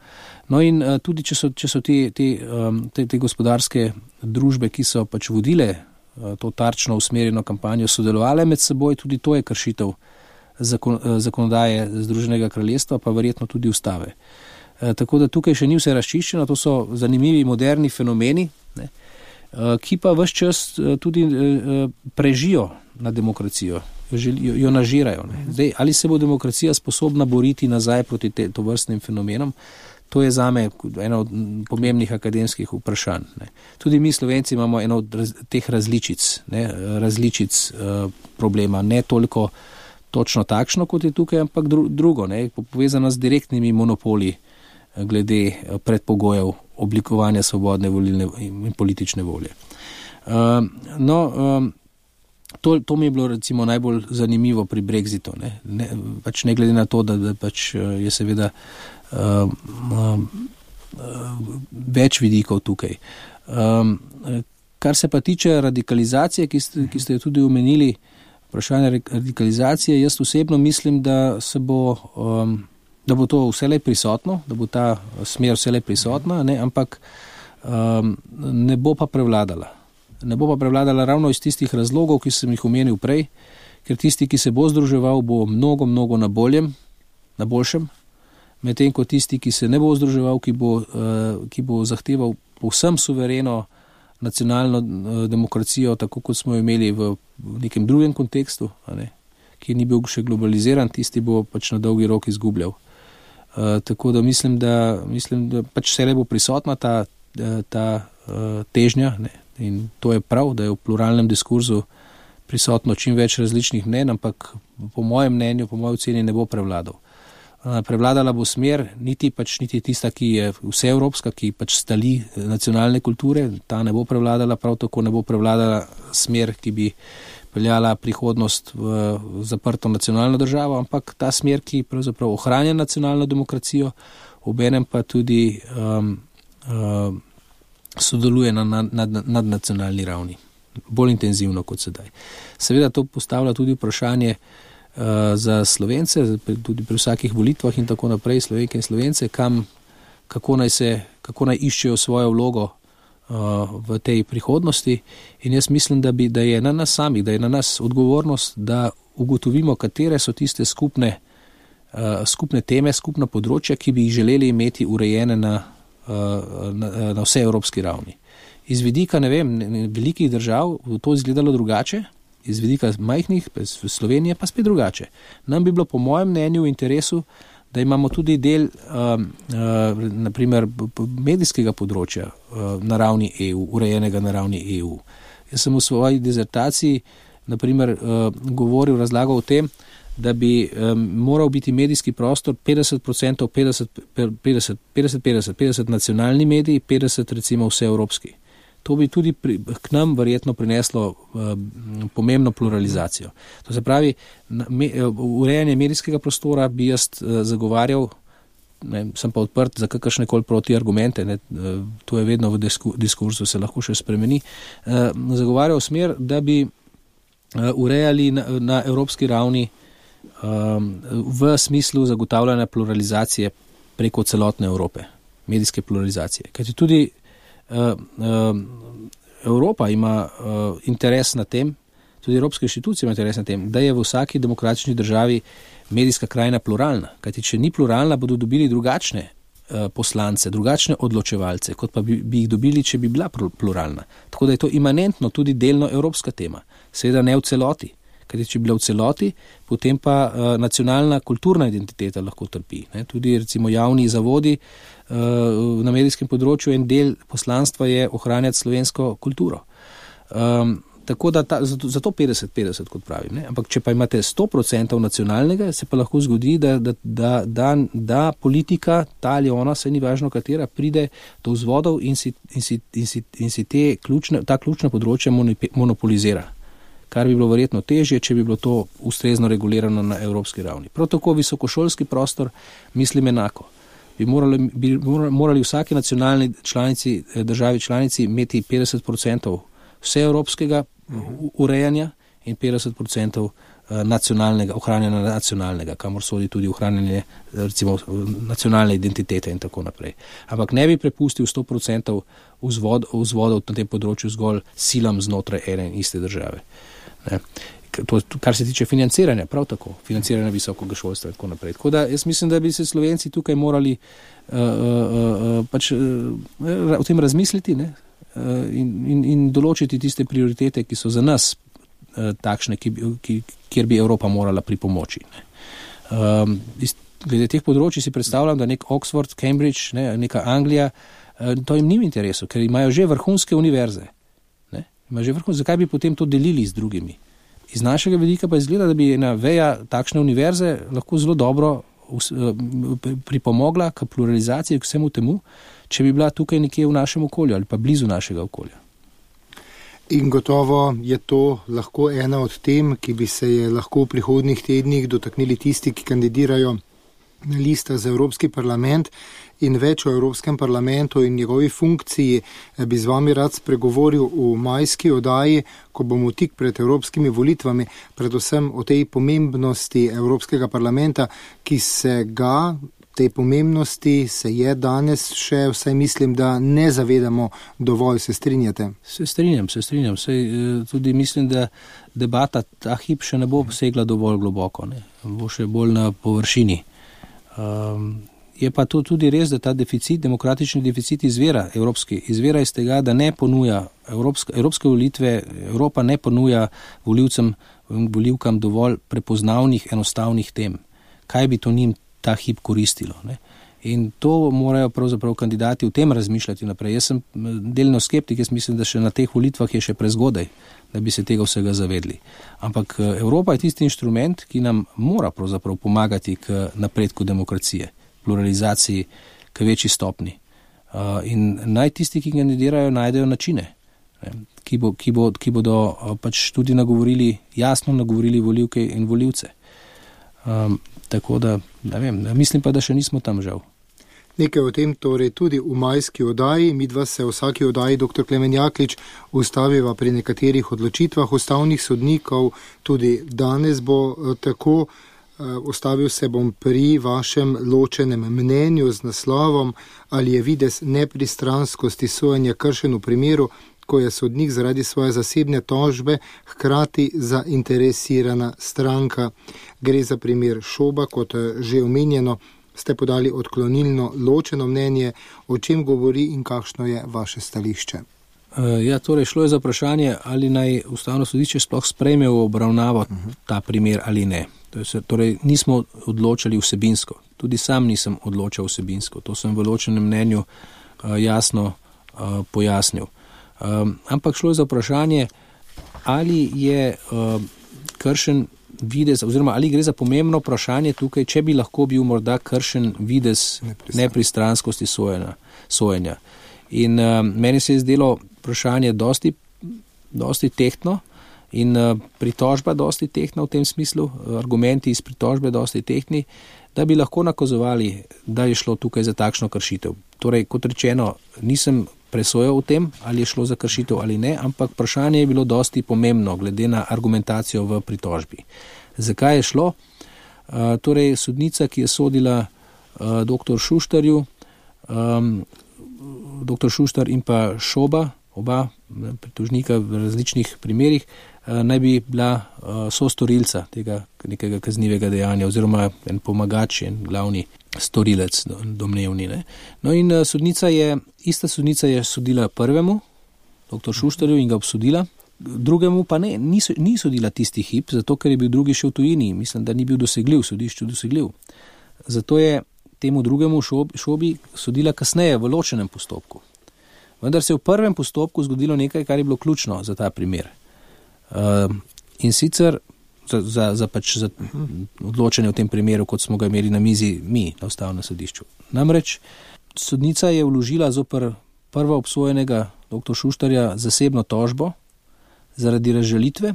No in uh, tudi, če so, če so te, te, um, te, te gospodarske družbe, ki so pač vodile to tarčno usmerjeno kampanjo, sodelovale med seboj, tudi to je kršitev zakon, zakonodaje Združenega kraljestva, pa verjetno tudi ustave. E, tako da tukaj še ni vse razčiščeno, to so zanimivi moderni fenomeni, ne, e, ki pa ves čas tudi e, prežijo na demokracijo, jo, jo nažirajo. Ne. Zdaj, ali se bo demokracija sposobna boriti nazaj proti te, to vrstnim fenomenom? To je zame eno od pomembnih akademskih vprašanj. Ne. Tudi mi Slovenci imamo eno od raz, teh različic, ne, različic uh, problema, ne toliko točno takšno, kot je tukaj, ampak dru, drugo, ne, povezano z direktnimi monopoli glede predpogojev oblikovanja svobodne volilne in politične volje. Uh, no, um, to, to mi je bilo recimo najbolj zanimivo pri Brexitu, ne, ne, pač ne glede na to, da, da pač je seveda Uh, uh, uh, več vidikov tukaj. Um, kar se pa tiče radikalizacije, ki ste, ki ste jo tudi omenili, vprašanje radikalizacije, jaz osebno mislim, da se bo, um, da bo to vselej prisotno, da bo ta smer vselej prisotna, ne, ampak um, ne bo pa prevladala. Ne bo pa prevladala ravno iz tistih razlogov, ki sem jih omenil prej, ker tisti, ki se bo združeval, bo mnogo, mnogo na boljem, na boljšem, medtem ko tisti, ki se ne bo združeval, ki bo, uh, ki bo zahteval povsem suvereno nacionalno uh, demokracijo, tako kot smo imeli v, v nekem drugem kontekstu, ne, ki ni bil še globaliziran, tisti bo pač na dolgi rok izgubljal. Uh, tako da mislim, da, mislim, da pač vse bo prisotna ta, ta uh, težnja, ne, in to je prav, da je v pluralnem diskurzu prisotno čim več različnih mnenj, ampak po mojem mnenju, po moji oceni ne bo prevladal. Prevladala bo smer, niti pač niti tista, ki je vseevropska, ki pač stali nacionalne kulture, ta ne bo prevladala, prav tako ne bo prevladala smer, ki bi peljala prihodnost v zaprto nacionalno državo, ampak ta smer, ki pravzaprav ohranja nacionalno demokracijo, obenem pa tudi um, um, sodeluje na nadnacionalni nad, nad ravni, bolj intenzivno kot sedaj. Seveda to postavlja tudi vprašanje za Slovence, tudi pri vsakih volitvah in tako naprej, Slovenke in Slovence, kam, kako naj se, kako naj iščejo svojo vlogo uh, v tej prihodnosti. In jaz mislim, da, bi, da je na nas samih, da je na nas odgovornost, da ugotovimo, katere so tiste skupne, uh, skupne teme, skupna področja, ki bi jih želeli imeti urejene na na, na vse evropski ravni. Iz vidika, ne vem, velikih držav to izgledalo drugače, iz vidika majhnih, Slovenije pa spet drugače. Nam bi bilo po mojem mnenju v interesu, da imamo tudi del uh, uh, naprimer medijskega področja uh, na ravni E U, urejenega na ravni E U. Jaz sem v svoji dizertaciji naprimer uh, govoril, razlagal o tem, da bi um, moral biti medijski prostor petdeset procentov, petdeset, petdeset, petdeset, petdeset, petdeset nacionalni mediji, petdeset recimo vse evropski. To bi tudi pri, k nam verjetno prineslo uh, pomembno pluralizacijo. To se pravi, na, me, urejanje medijskega prostora bi jaz uh, zagovarjal, ne, sem pa odprt za kakršne koli protiargumente, ne, uh, to je vedno v disku, diskursu, se lahko še spremeni, uh, zagovarjal smer, da bi uh, urejali na, na evropski ravni um, v smislu zagotavljanja pluralizacije preko celotne Evrope, medijske pluralizacije. Kajti tudi Uh, uh, Evropa ima uh, interes na tem, tudi evropske inštitucije ima interes na tem, da je v vsaki demokratični državi medijska krajina pluralna. Kajti, če ni pluralna, bodo dobili drugačne uh, poslance, drugačne odločevalce, kot pa bi, bi jih dobili, če bi bila pluralna. Tako da je to imanentno tudi delno evropska tema. Seveda ne v celoti. Kajti, če bi bila v celoti, potem pa uh, nacionalna kulturna identiteta lahko trpi. Ne? Tudi recimo javni zavodi uh, na medijskem področju en del poslanstva je ohranjati slovensko kulturo. Um, tako da ta, zato, zato petdeset petdeset, kot pravim. Ne? Ampak če pa imate sto procentov nacionalnega, se pa lahko zgodi, da, da, da, da, da politika, ta ali ona, se ni važno katera, pride do vzvodov in si, in si, in si, in si te ključne, ta ključna področja monopolizira. Kar bi bilo verjetno težje, če bi bilo to ustrezno regulirano na evropski ravni. Prav tako visokošolski prostor mislim enako. Bi morali, bi morali vsake nacionalni članici, državi članici imeti petdeset procentov vse evropskega urejanja in petdeset procentov nacionalnega, ohranjanja nacionalnega, kamor sodi tudi ohranjanje recimo nacionalne identitete in tako naprej. Ampak ne bi prepustil sto procentov vzvod, vzvodov na tem področju zgolj silam znotraj ene in iste države. Ne. To, kar se tiče financiranja, prav tako, financiranja visokega šolstva in tako naprej. Tako da jaz mislim, da bi se Slovenci tukaj morali uh, uh, uh, pač uh, o tem razmisliti, ne, uh, in, in, in določiti tiste prioritete, ki so za nas uh, takšne, ki, ki, kjer bi Evropa morala pripomoči. Ne. Um, iz, glede teh področji si predstavljam, da nek Oxford, Cambridge, ne, neka Anglija, uh, to jim ni v interesu, ker imajo že vrhunske univerze. Že vrhun, zakaj bi potem to delili z drugimi? Iz našega vidika pa izgleda, da bi ena veja takšne univerze lahko zelo dobro pripomogla k pluralizaciji, k vsemu temu, če bi bila tukaj nekje v našem okolju ali pa blizu našega okolja. In gotovo je to lahko ena od tem, ki bi se je lahko v prihodnjih tednih dotaknili tisti, ki kandidirajo na listah za Evropski parlament, in več o Evropskem parlamentu in njegovi funkciji bi z vami rad spregovoril v majski oddaji, ko bomo tik pred evropskimi volitvami, predvsem o tej pomembnosti Evropskega parlamenta, ki se ga, tej pomembnosti se je danes še, vsaj mislim, da ne zavedamo dovolj. Se strinjate? Se strinjam, se strinjam. Sej, tudi mislim, da debata ta hip še ne bo segla dovolj globoko, ne? Bo še bolj na površini. Um, Je pa to tudi res, da ta deficit, demokratični deficit izvira evropski, izvira iz tega, da ne ponuja evropske, evropske volitve, Evropa ne ponuja volivcem, volivkam dovolj prepoznavnih, enostavnih tem. Kaj bi to njim ta hip koristilo? Ne? In to morajo pravzaprav kandidati v tem razmišljati naprej. Jaz sem delno skeptik, jaz mislim, da še na teh volitvah je še prezgodaj, da bi se tega vsega zavedli. Ampak Evropa je tisti inštrument, ki nam mora pravzaprav pomagati k napredku demokracije, pluralizaciji, k večji stopni. Uh, in naj tisti, ki kandidirajo, najdejo načine, ne, ki, bo, ki, bo, ki bodo uh, pač tudi nagovorili, jasno nagovorili volivke in volivce. Um, tako da, ne vem, mislim pa, da še nismo tam žal. Nekaj o tem torej tudi v majski oddaji. Midva se v vsaki oddaji, doktor Klemen Jaklič, ustaviva pri nekaterih odločitvah ustavnih sodnikov. Tudi danes bo tako. Ustavil se bom pri vašem ločenem mnenju z naslovom, ali je videz nepristranskosti sojenja kršen v primeru, ko je sodnik zaradi svoje zasebne tožbe hkrati zainteresirana stranka. Gre za primer Šoba, kot že omenjeno, ste podali odklonilno ločeno mnenje. O čem govori in kakšno je vaše stališče? Ja, torej šlo je za vprašanje, ali naj Ustavno sodišče sploh sprejme v obravnavo ta primer ali ne. Torej nismo odločali vsebinsko. Tudi sam nisem odločal vsebinsko. To sem v ločenem mnenju jasno pojasnil. Ampak šlo je za vprašanje, ali je kršen videz, oziroma ali gre za pomembno vprašanje tukaj, če bi lahko bil morda kršen videz nepristranskosti sojenja. In uh, meni se je zdelo vprašanje dosti, dosti tehtno in uh, pritožba dosti tehtna v tem smislu, argumenti iz pritožbe dosti tehtni, da bi lahko nakazovali, da je šlo tukaj za takšno kršitev. Torej, kot rečeno, nisem presojal o tem, ali je šlo za kršitev ali ne, ampak vprašanje je bilo dosti pomembno, glede na argumentacijo v pritožbi. Zakaj je šlo? Uh, torej, sodnica, ki je sodila uh, doktor Šuštarju, um, doktor Šuštar in pa Šoba, oba pritožnika v različnih primerih, naj bi bila sostorilca tega nekega kaznivega dejanja oziroma en pomagač, en glavni storilec domnevni. Ne. No in sodnica je, ista sodnica je sodila prvemu, doktor Šuštarju, in ga obsodila, drugemu pa ne, ni, ni sodila tisti hip, zato ker je bil drugi še v tujini, mislim, da ni bil dosegljiv, sodišču dosegljiv. Zato je temu drugemu šobi sodila kasneje v ločenem postopku. Vendar se je v prvem postopku zgodilo nekaj, kar je bilo ključno za ta primer. Uh, in sicer za, za, za, pač za odločanje v tem primeru, kot smo ga imeli na mizi mi na Ustavnem sodišču. Namreč sodnica je vložila zoper prvo obsojenega doktor Šuštarja zasebno tožbo zaradi razžalitve,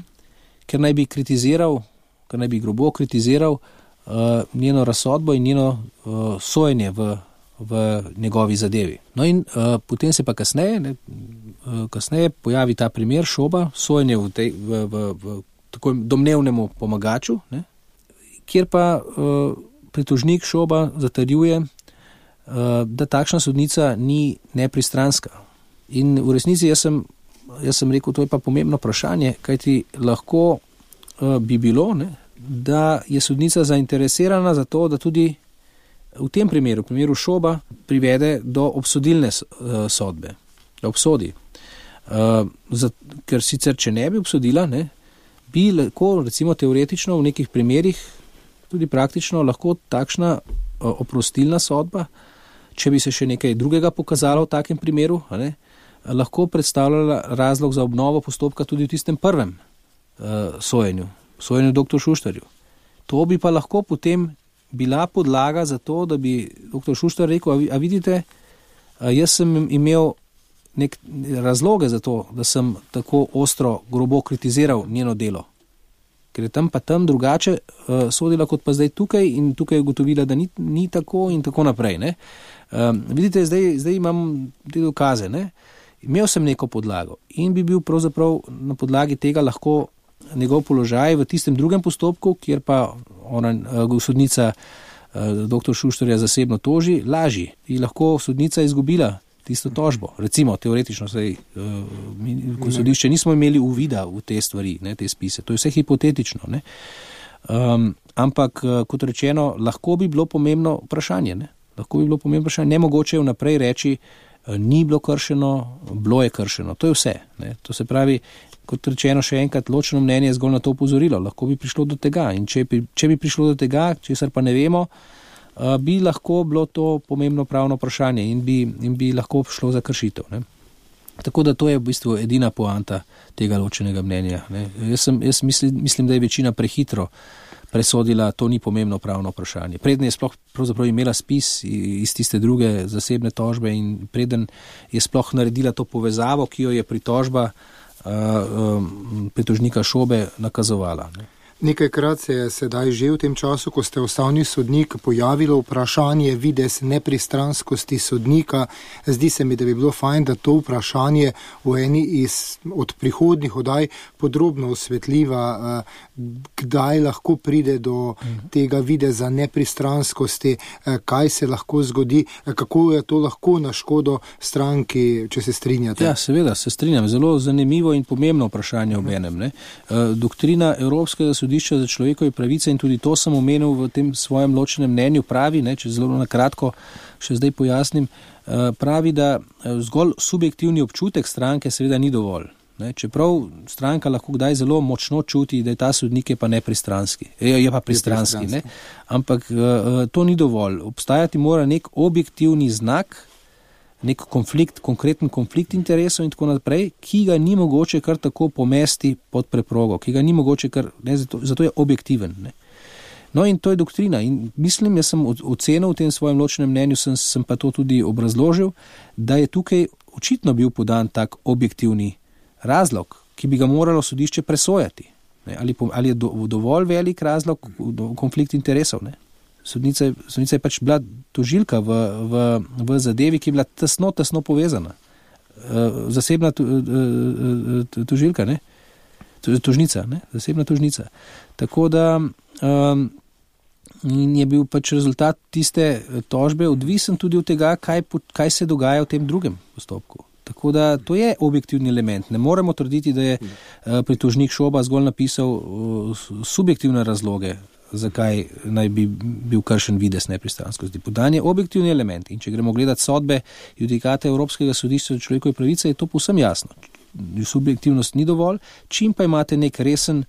ker naj bi kritiziral, ker naj bi grobo kritiziral Uh, njeno razsodbo in njeno uh, sojenje v, v njegovi zadevi. No in uh, potem se pa kasneje, ne, uh, kasneje pojavi ta primer Šoba, sojenje v, tej, v, v, v tako domnevnemu pomagaču, ne, kjer pa uh, pritožnik Šoba zatrjuje, uh, da takšna sodnica ni nepristranska. In v resnici jaz sem, jaz sem rekel, to je pa pomembno vprašanje, kajti lahko uh, bi bilo, ne, da je sodnica zainteresirana za to, da tudi v tem primeru, v primeru Šoba, privede do obsodilne sodbe, da obsodi. Uh, za, ker sicer, če ne bi obsodila, ne, bi lahko, recimo teoretično, v nekih primerih, tudi praktično, lahko takšna uh, oprostilna sodba, če bi se še nekaj drugega pokazalo v takem primeru, ne, lahko predstavljala razlog za obnovo postopka tudi v tistem prvem uh, sojenju. sojenju doktor Šuštarju. To bi pa lahko potem bila podlaga za to, da bi doktor Šuštar rekel, a, a vidite, a jaz sem imel nek razloge za to, da sem tako ostro, grobo kritiziral njeno delo. Ker je tam pa tam drugače uh, sodila kot pa zdaj tukaj in tukaj je ugotovila, da ni, ni tako in tako naprej. Ne? Um, vidite, zdaj, zdaj imam te dokaze. Ne? Imel sem neko podlago in bi bil pravzaprav na podlagi tega lahko njegov položaj v tistem drugem postopku, kjer pa ona, sodnica doktor Šuštarja zasebno toži, lažji. In lahko sodnica izgubila tisto tožbo. Recimo, teoretično, saj, ko sodišče nismo imeli uvida v te stvari, ne, te spise. To je vse hipotetično. Ne. Um, ampak, kot rečeno, lahko bi bilo pomembno vprašanje. Ne. Lahko bi bilo pomembno vprašanje. Nemogoče je vnaprej reči, ni bilo kršeno, bilo je kršeno. To je vse. Ne. To se pravi, kot rečeno, še enkrat, ločeno mnenje je zgolj na to upozorilo. Lahko bi prišlo do tega. In če bi, če bi prišlo do tega, česar pa ne vemo, bi lahko bilo to pomembno pravno vprašanje in bi, in bi lahko šlo za kršitev. Ne. Tako da to je v bistvu edina poanta tega ločenega mnenja. Ne. Jaz, sem, jaz mislim, mislim, da je večina prehitro presodila, to ni pomembno pravno vprašanje. Preden je sploh pravzaprav imela spis iz tiste druge zasebne tožbe in preden je sploh naredila to povezavo, ki jo je pritožba Uh, um, pritožnika Šobe nakazovala. Ne. Nekajkrat se je sedaj že v tem času, ko ste ustavni sodnik, pojavilo vprašanje videz nepristranskosti sodnika. Zdi se mi, da bi bilo fajn, da to vprašanje v eni iz, od prihodnjih oddaj podrobno osvetljiva, kdaj lahko pride do tega videza nepristranskosti, kaj se lahko zgodi, kako je to lahko na škodo stranki, če se strinjate. Ja, seveda, se strinjam. Zelo zanimivo in pomembno vprašanje ob enem. Ne. Doktrina Evropskega sodišča sodišča za človekove pravice, in tudi to sem omenil v tem svojem ločenem mnenju, pravi, ne, če zelo na kratko še zdaj pojasnim, pravi, da zgolj subjektivni občutek stranke seveda ni dovolj. Ne, čeprav stranka lahko kdaj zelo močno čuti, da je ta sodnik je pa nepristranski, je, je pa pristranski, ne, ampak to ni dovolj. Obstajati mora nek objektivni znak, nek konflikt, konkreten konflikt interesov in tako naprej, ki ga ni mogoče kar tako pomesti pod preprogo, ki ga ni mogoče kar, ne, zato, zato je objektiven. Ne. No in to je doktrina in mislim, jaz sem ocenil v tem svojem ločenem mnenju, sem, sem pa to tudi obrazložil, da je tukaj očitno bil podan tak objektivni razlog, ki bi ga moralo sodišče presojati. Ne, ali, ali je do, dovolj velik razlog, do, konflikt interesov, ne. Sodnica, sodnica je pač bila tožilka v, v, v zadevi, ki je bila tesno, tesno povezana. Zasebna to, tožilka, ne? Tožnica, ne? Zasebna tožnica. Tako da um, je bil pač rezultat tiste tožbe odvisen tudi od tega, kaj, kaj se dogaja v tem drugem postopku. Tako da to je objektivni element. Ne moremo trditi, da je pritožnik Šoba zgolj napisal subjektivne razloge, zakaj naj bi bil kršen videz nepristranskosti. Podan je objektivni element in če gremo gledati sodbe judikate Evropskega sodišča za človekove pravice, je to povsem jasno. Subjektivnost ni dovolj, čim pa imate nek resen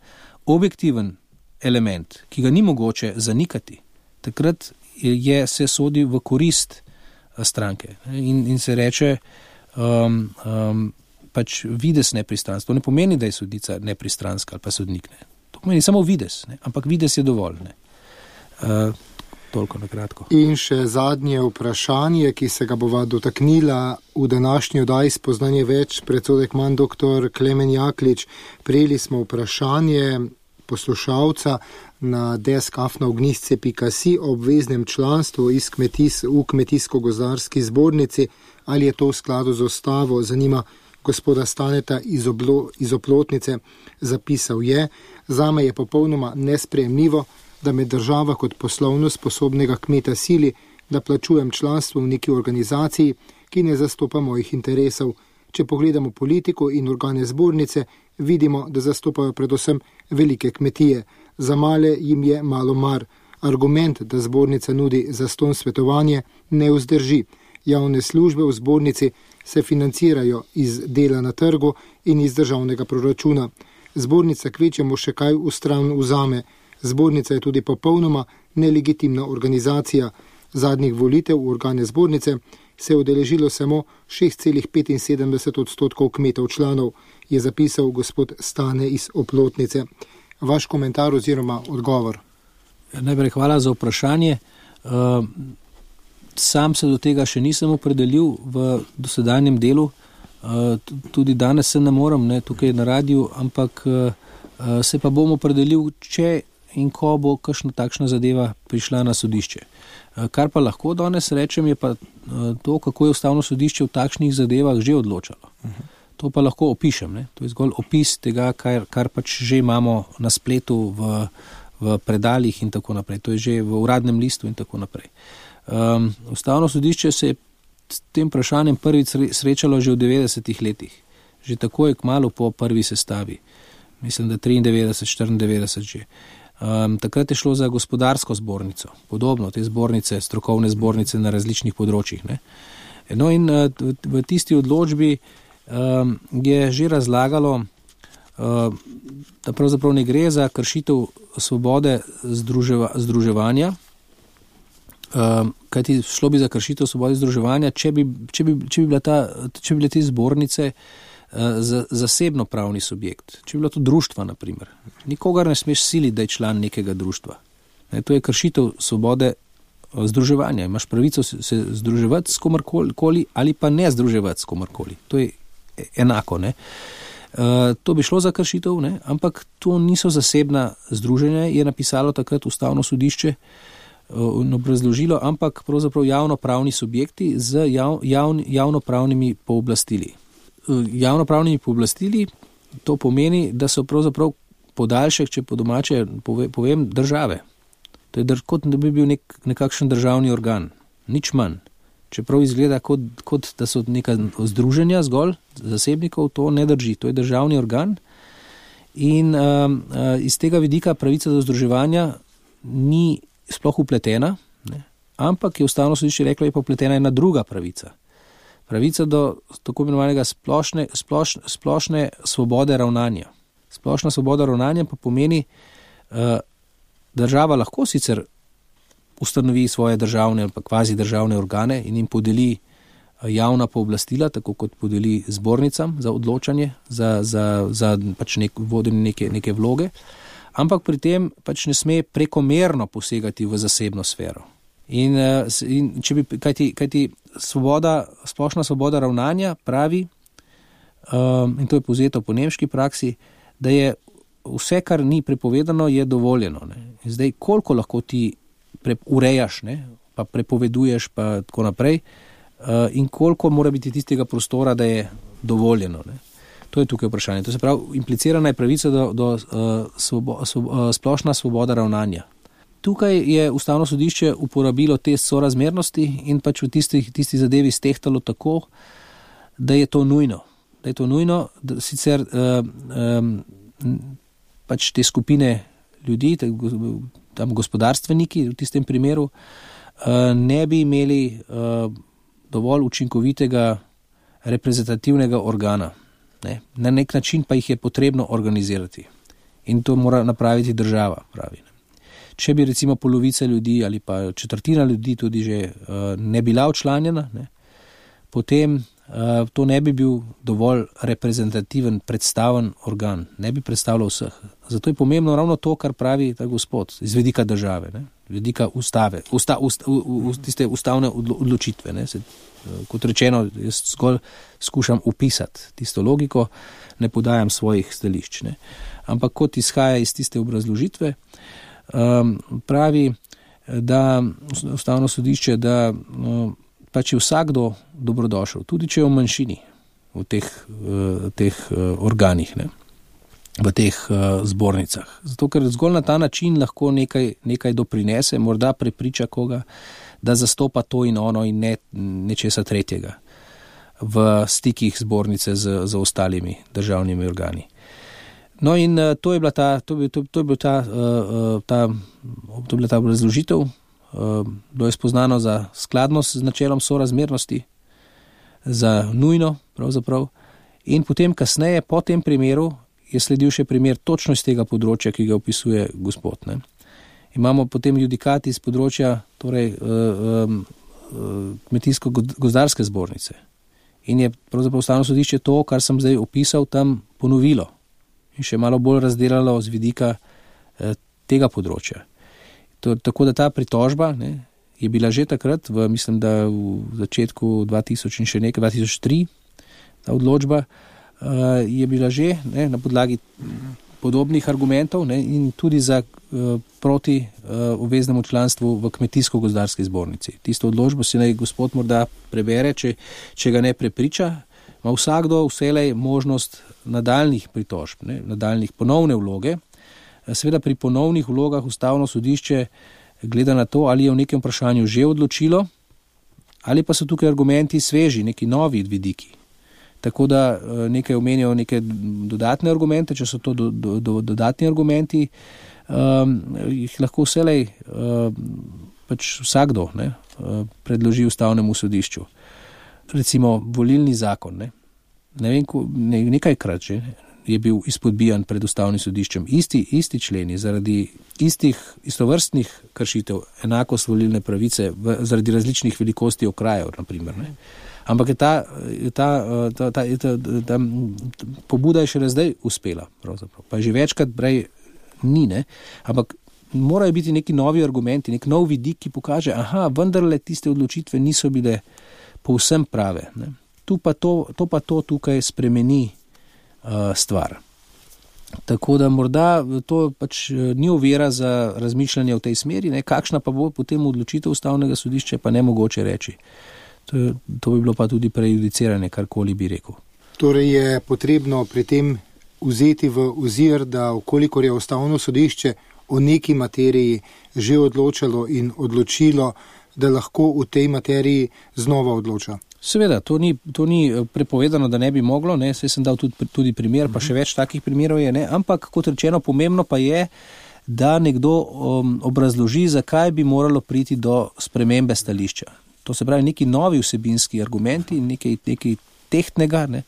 objektiven element, ki ga ni mogoče zanikati, takrat je, se sodi v korist stranke in, in se reče um, um, pač videz nepristranstva. To ne pomeni, da je sodnica nepristranska ali pa sodnik, ne. To pomeni samo videz, ne? Ampak videz je dovolj. Ne? Uh, toliko na kratko. In še zadnje vprašanje, ki se ga bova dotaknila v današnji oddaji Spoznanje več, predsodek manj, doktor Klemen Jaklič. Prejeli smo vprašanje poslušalca na desk afna ognjišče pika si o obveznem članstvu iz kmetis, v Kmetijsko-gozdarski zbornici. Ali je to v skladu z ustavo? Zanima gospoda Staneta iz, oblo, iz Oplotnice. Zapisal je: zame je popolnoma nesprejemljivo, da me država kot poslovno sposobnega kmeta sili, da plačujem članstvo v neki organizaciji, ki ne zastopa mojih interesov. Če pogledamo politiko in organe zbornice, vidimo, da zastopajo predvsem velike kmetije. Za male jim je malo mar. Argument, da zbornica nudi zastonj svetovanje, ne vzdrži. Javne službe v zbornici se financirajo iz dela na trgu in iz državnega proračuna. Zbornica kvečemo še kaj v stran vzame. Zbornica je tudi popolnoma nelegitimna organizacija. Zadnjih volitev v organe zbornice se je udeležilo samo šest celih petinsedemdeset odstotkov kmetov članov, je zapisal gospod Stane iz Oplotnice. Vaš komentar oziroma odgovor? Najprej hvala za vprašanje. Uh, sam se do tega še nisem opredelil v dosedanjem delu. Uh, tudi danes se ne morem, ne, tukaj na radiju, ampak uh, se pa bom opredelil, če in ko bo kakšna takšna zadeva prišla na sodišče. Uh, kar pa lahko danes rečem, je pa uh, to, kako je Ustavno sodišče v takšnih zadevah že odločalo. Uh-huh. To pa lahko opišem. Ne. To je zgolj opis tega, kar, kar pač že imamo na spletu, v, v predalih in tako naprej. To je že v uradnem listu in tako naprej. Um, Ustavno sodišče se je s tem vprašanjem prvič srečalo že v devetdesetih letih. Že tako je kmalu po prvi sestavi. Mislim, da triindevetdeset, štiriindevetdeset že. Um, takrat je šlo za gospodarsko zbornico. Podobno, te zbornice, strokovne zbornice na različnih področjih. Ne? No in uh, v tisti odločbi um, je že razlagalo, uh, da pravzaprav ne gre za kršitev svobode združeva, združevanja, Um, kajti šlo bi za kršitev svobode združevanja, če bi, če bi, če bi, bila ta, če bi bile te zbornice uh, za, zasebno pravni subjekt. Če bi bilo to društva, na primer. Nikogar ne smeš siliti, da je član nekega društva. Ne, to je kršitev svobode združevanja. Imaš pravico se, se združevati s komarkoli ali pa ne združevati s komarkoli. To je enako. Ne. Uh, to bi šlo za kršitev, ne, ampak to niso zasebna združenja, je napisalo takrat Ustavno sodišče in obrazložilo, ampak pravzaprav javnopravni subjekti z jav, javn, javnopravnimi pooblastili. Javnopravnimi pooblastili to pomeni, da so pravzaprav podaljšek, če po domače povem, države. To je kot da bi bil nek, nekakšen državni organ. Nič manj. Čeprav izgleda kot, kot da so neka združenja zgolj zasebnikov, to ne drži. To je državni organ In uh, uh, iz tega vidika pravica do združevanja ni sploh upletena, ne? Ampak je Ustavno sodišče reklo, je pa upletena ena druga pravica. Pravica do tako imenovanega splošne, sploš, splošne svobode ravnanja. Splošna svoboda ravnanja pa pomeni, uh, država lahko sicer ustanovi svoje državne ali pa kvazi državne organe in jim podeli javna pooblastila, tako kot podeli zbornicam za odločanje, za, za, za pač nek, vodenje neke, neke vloge, ampak pri tem pač ne sme prekomerno posegati v zasebno sfero. In, in če bi, kajti, kajti svoboda, splošna svoboda ravnanja pravi, um, in to je povzeto po nemški praksi, da je vse, kar ni prepovedano, je dovoljeno. Ne. Zdaj, koliko lahko ti pre, urejaš, ne, pa prepoveduješ, pa tako naprej, uh, in koliko mora biti tistega prostora, da je dovoljeno. Ne. To je tukaj vprašanje. To se pravi, implicirana je pravica do, do uh, svobo, svobo, uh, splošna svoboda ravnanja. Tukaj je Ustavno sodišče uporabilo test sorazmernosti in pač v tistih, tistih zadevi stehtalo tako, da je to nujno. Da je to nujno, da sicer uh, um, pač te skupine ljudi, tam gospodarstveniki v tistem primeru, ne bi imeli dovolj učinkovitega reprezentativnega organa. Ne? Na nek način pa jih je potrebno organizirati. In to mora napraviti država, pravi. Če bi recimo polovica ljudi ali pa četrtina ljudi tudi že ne bila včlanjena, ne? Potem Uh, to ne bi bil dovolj reprezentativen, predstaven organ, ne bi predstavljal vseh. Zato je pomembno ravno to, kar pravi ta gospod, iz vidika države, ne? Vidika ustave, usta, usta, u, u, tiste ustavne odločitve. Ne? Se, kot rečeno, jaz zgolj skušam upisati tisto logiko, ne podajam svojih stališč. Ne? Ampak kot izhaja iz tiste obrazložitve, um, pravi, da Ustavno sodišče, da um, pa če vsakdo dobrodošel, tudi če je v manjšini v teh, v teh organih, ne, v teh zbornicah. Zato, ker zgolj na ta način lahko nekaj, nekaj doprinese, morda prepriča koga, da zastopa to in ono in ne nečesa tretjega v stikih zbornice z, z ostalimi državnimi organi. No in to je bila ta, to je, to, to je bila ta, ta, to je bila ta razložitev. Bilo je spoznano za skladnost z načelom sorazmernosti, za nujno pravzaprav. In potem kasneje, po tem primeru, je sledil še primer točno iz tega področja, ki ga opisuje gospod. Ne. Imamo potem judikat iz področja torej, kmetijsko-gozdarske zbornice. In je pravzaprav Ustavno sodišče to, kar sem zdaj opisal, tam ponovilo in še malo bolj razdelalo z vidika tega področja. To, tako da ta pritožba, ne, je bila že takrat, v, mislim, da v začetku dva tisoč in še nekaj, dva tisoč tri, ta odločba uh, je bila že ne, na podlagi podobnih argumentov, ne, in tudi za uh, proti uh, obveznemu članstvu v kmetijsko-gozdarski zbornici. Tisto odločbo si naj gospod morda prebere, če, če ga ne prepriča, ima vsakdo vselej možnost nadaljnih pritožb, ne, nadaljnih ponovne vloge. Seveda pri ponovnih vlogah Ustavno sodišče gleda na to, ali je v nekem vprašanju že odločilo, ali pa so tukaj argumenti sveži, neki novi vidiki. Tako da nekaj omenijo neke dodatne argumente, če so to do, do, do, dodatni argumenti, um, jih lahko vselej um, pač vsakdo ne, predloži Ustavnemu sodišču. Recimo volilni zakon, ne, ne vem, ko, ne, nekajkrat že, je bil izpodbijan pred Ustavnim sodiščem. Isti, isti členi zaradi istih istovrstnih kršitev, enakost volilne pravice v, zaradi različnih velikosti okrajev, naprimer. Ne. Ampak je ta, ta, ta, ta, ta, ta, ta pobuda je še zdaj uspela, pravzaprav. Pa že večkrat prej ni, ne. Ampak morajo biti neki novi argumenti, nek nov vidik, ki pokaže, aha, vendarle tiste odločitve niso bile povsem prave. Ne. Tu pa to, to pa to tukaj spremeni stvar. Tako da morda to pač ni ovira za razmišljanje v tej smeri, ne, kakšna pa bo potem odločitev Ustavnega sodišča, pa ne mogoče reči. To, je, to bi bilo pa tudi prejudiciranje, karkoli bi rekel. Torej je potrebno pri tem vzeti v ozir, da okolikor je Ustavno sodišče o neki materiji že odločalo in odločilo, da lahko v tej materiji znova odloča. Seveda, to ni, to ni prepovedano, da ne bi moglo, ne, saj sem dal tudi, tudi primer, pa še več takih primerov je, ne, ampak kot rečeno, pomembno pa je, da nekdo um, obrazloži, zakaj bi moralo priti do spremembe stališča. To se pravi, neki novi vsebinski argumenti, nekaj, nekaj tehtnega, ne.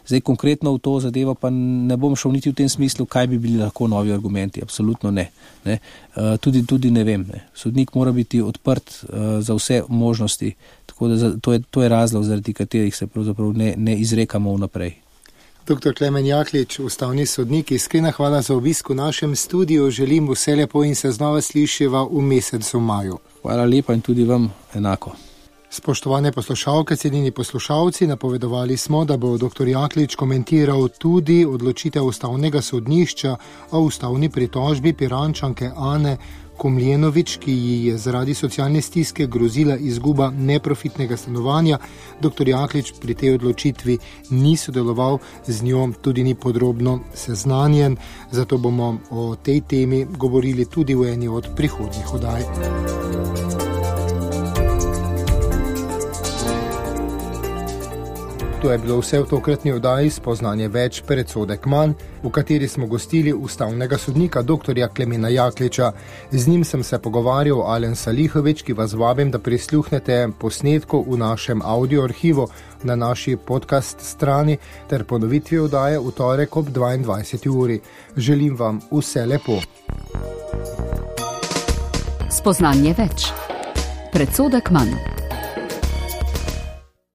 Zdaj konkretno v to zadevo pa ne bom šel niti v tem smislu, kaj bi bili lahko novi argumenti, absolutno ne. ne. Uh, tudi, tudi ne vem, ne. Sodnik mora biti odprt uh, za vse možnosti, tako da za, to, je, to je razlog, zaradi katerih se pravzaprav ne, ne izrekamo vnaprej. Doktor Klemen Jaklič, ustavni sodnik, iskrena hvala za obisk v našem studiu, želim vse lepo in se znova slišiva v mesecu maju. Hvala lepa in tudi vam enako. Spoštovane poslušalke, cenjeni poslušalci, napovedovali smo, da bo doktor Jaklič komentiral tudi odločitev ustavnega sodnišča o ustavni pritožbi Pirančanke Ane Komljenovič, ki ji je zaradi socialne stiske grozila izguba neprofitnega stanovanja. Doktor Jaklič pri tej odločitvi ni sodeloval, z njo tudi ni podrobno seznanjen, zato bomo o tej temi govorili tudi v eni od prihodnjih oddaj. To je bilo vse v tokratni oddaji Spoznanje več, predsodek manj, v kateri smo gostili ustavnega sodnika doktorja Klemena Jakliča. Z njim sem se pogovarjal Alen Salihovič, ki vas vabim, da prisluhnete posnetku v našem audio arhivu na naši podcast strani ter ponovitvi oddaje v torek ob dvaindvajseti uri. Želim vam vse lepo. Spoznanje več, predsodek manj.